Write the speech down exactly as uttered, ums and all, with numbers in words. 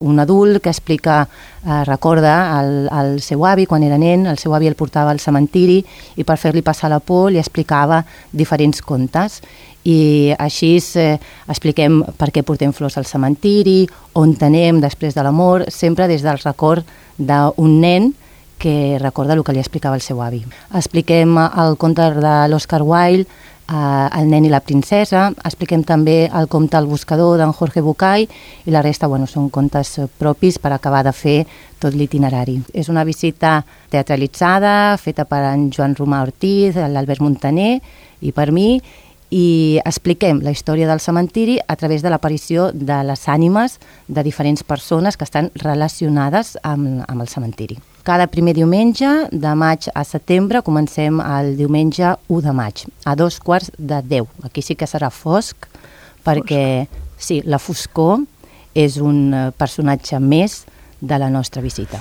Un adult que explica, eh, recorda el, el seu avi quan era nen, el seu avi el portava al cementiri i per fer-li passar la por li explicava diferents contes. I així eh, expliquem per què portem flors al cementiri, on anem després de la mort, sempre des del record d'un nen que recorda el que li explicava el seu avi. Expliquem el conte de l'Oscar Wilde, Uh, El nen i la princesa, expliquem també el conte El buscador d'en Jorge Bucay i la resta bueno, són contes propis per acabar de fer tot l'itinerari. És una visita teatralitzada, feta per en Joan Romà Ortiz, l'Albert Montaner i per mi, i expliquem la història del cementiri a través de l'aparició de les ànimes de diferents persones que estan relacionades amb, amb el cementiri. Cada primer diumenge, de maig a setembre, comencem el diumenge u de maig, a dos quarts de deu. Aquí sí que serà fosc, perquè sí, la foscor és un personatge més de la nostra visita.